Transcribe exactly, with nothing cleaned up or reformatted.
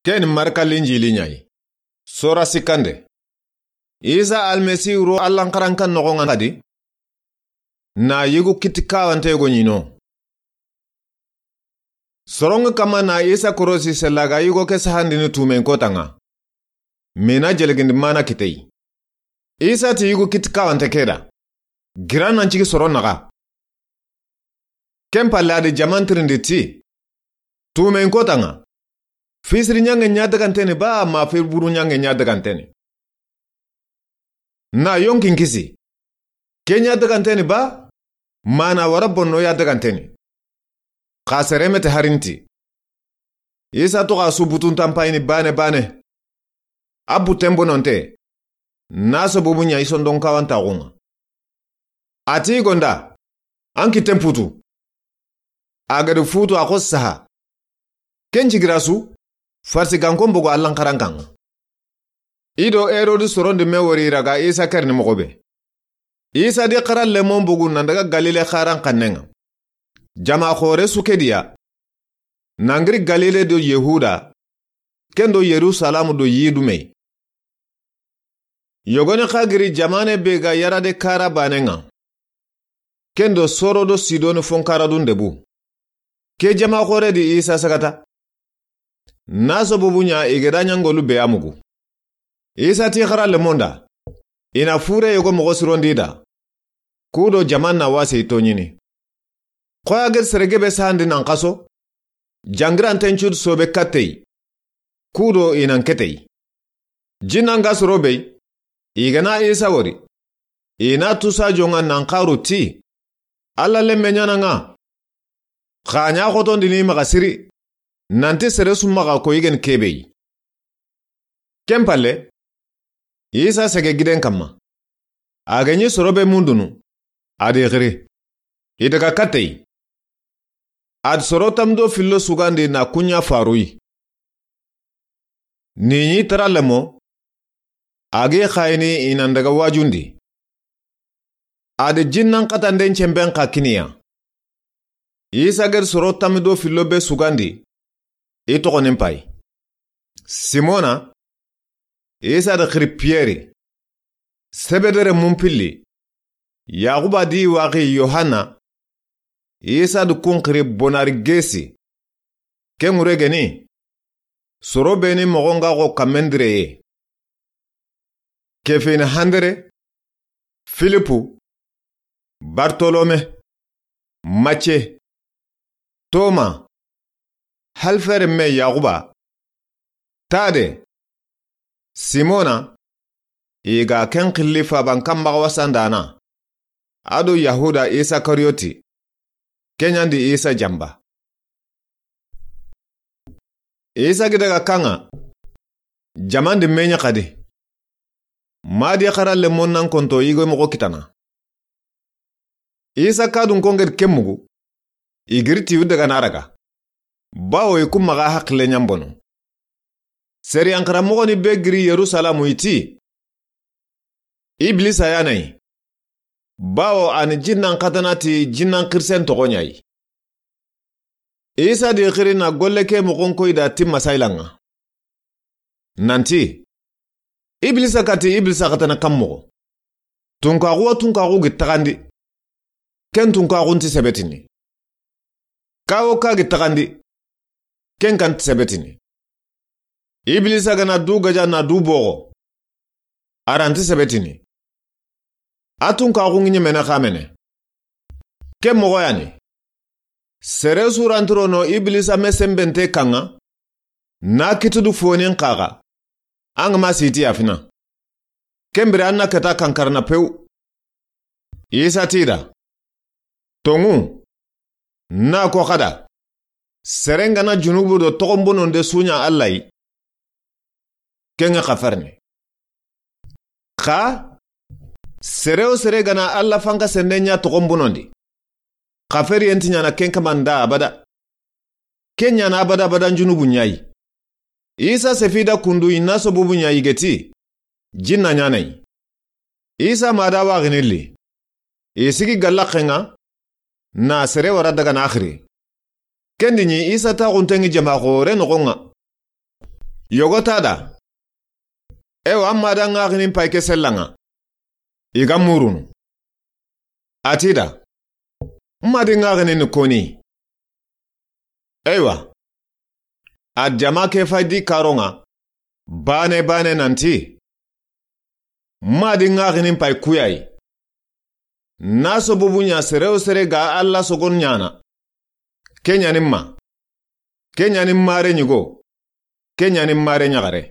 Ken Marka Linjili ɲa yi. Sora sikkande. Isa Almasihu ro Allan xarankan noxon ŋa xadi, na yigu kitti kawante go ɲi no. Soron ŋa kama na Isa korosi sella ga yigo ke sahandini tumen kotan ŋa. Mina jelegindi mana kitey. Isa ti yigu kitti kawante ke da, gira nan cigi soron naxa. Ken palle a di jaman tirindi ti, tumen kotan ŋa, fisiri ɲange ɲa daganteni ba, ma firi buru ɲange ɲa daganteni? Na yonkin kisi, ke ɲa daganteni ba, ma na wara bonno ya daganteni? Xa seremete harinti. Isa toxa su butun tanpayini bane bane. A buten bononte, na sabubu ɲa i sondon kawantaxun ŋa. A ti i gonda, an kitten putu. A gadi futu a xo saha. Ken cigira su, farsigankon bogu Allan xarankan ŋa. I do Herodi sorondi me wori i ra ga Isa kerini moxo be. Isa di xara lemon bogu nan daga Galile xaran xannen ŋa. Jama xore su ke diya. Nangiri Galile do Yehuda, ken do Yerusalemu do Yidume. Yogoni xa giri jamane be ga yarade kara banen ŋa. Ken do Soro do Sidoni fonkaradun debu. Ke jama xore di Isa sagata. Na sabubu ɲa i geda ɲangolu be a mugu. Isa ti xara lemon da, i na fure yogo moxo sirondi da. Kudo jaman na wase i toɲini. Xoya gedi sere gebe sahandi nan xaso, jangiranten cudu sobe kattey. Kudo i nan ketey. Jinnan ga soro bey, i gana Isa wori, i na tusa jonga nan xaru ti, Alla lemme ɲanan ŋa. Xa ɲa xotondini maxa siri, nanti sere su maxa ko i geni kebey. Ken palle, Isa sege giden kamma. A ga ɲi soro be mundunu, a di xiri. I daga kattey. A di soro tamdo fillo sugandi na kuɲa faruyi. Ni ɲi tara lemo, a gi xayini i nan daga wajundi. A di jinnan xatanden cemben xa kiniya. Isa gedi soro tamdo fillo be sugandi, i toxonin pay. Simona, Isa da xiri Piyeri, Sebedere mun pilli, Yaxuba di waxi Yohanna, Isa da kun xiri Bonarigesi. Ken ŋure geni, soro beni moxon ga xo kammendireye. Kefini Handere, Filipu, Bartolome, Mace, Toma, Halfere me Yaxuba, Tade, Simona, i ga ken xilli faban kan maxa wasandana, a do Yahuda Isakariyoti, ke ɲandi Isa jamba. Isa gi daga kan ŋa, jaman di me ɲa xadi. Madi xara lemon nan konto yigo moxo kitana. Isa kadun kongedi ken mugu, i giri ti yu daga na raga. Bawo i kun maxa haxile ɲambono. Sariyan xaranmoxoni be giri Yerusalemu i ti, Ibilisa ya na yi. Bawo a ni jinnan xatana ti jinnan xirisen toxo ɲa yi. Isa di xiri na golle ke moxon koyi da ti masayila ŋa. Nanti, Ibilisa kati Ibilisa xatana kan moxo. Tunkaxu wa tunkaxu gi taxandi. Ken tunkaxu nti sebetini. Kawo ka gi taxandi. Ken kan ti sebetini. Ibilisa gana du gaja na du boxo, a ranti sebetini. A tunkaxu ŋi ɲemene xamene. Ken moxo yani. Sere su rantirono Ibilisa me sembente kan ŋa, na kitudu fonin xaxa, an ga ma siti yafina. Ken bire an na keta kankarana pew. Isa ti da, Tonŋu, na ko xada, seren gana junubu do toxonbononde suɲa Alla yi, ken ŋa xaferni. Xa, sere wo sere gana Alla fanka sende ɲa toxonbonondi, xaferiyen ti ɲana ken kamanda abada. Ken ɲana abada abadan junubu ɲa yi. Isa sefida kundu i na sobubu ɲa yigeti, jinna ɲana yi. Isa ma da waxini li. I sigi gallaxen ŋa, na sere wara daga na xiri. Kendi ɲi Isa taxunten ŋi jama xore noxon ŋa. Yogo ta da. Ewa, n ma da ŋaxinin pay ke sellan ŋa. I ga murunu. A ti da. N ma di ŋaxinin ni koni. Ewa. A jama ke fay di karon ŋa. Bane bane nanti. N ma di ŋaxinin pay kuyayi. Na sobubu ɲa sere wo sere ga Alla sogon ɲana. Ke ɲani n ma. Ke ɲani n mare ɲigo. Ke ɲani n mare ɲaxare.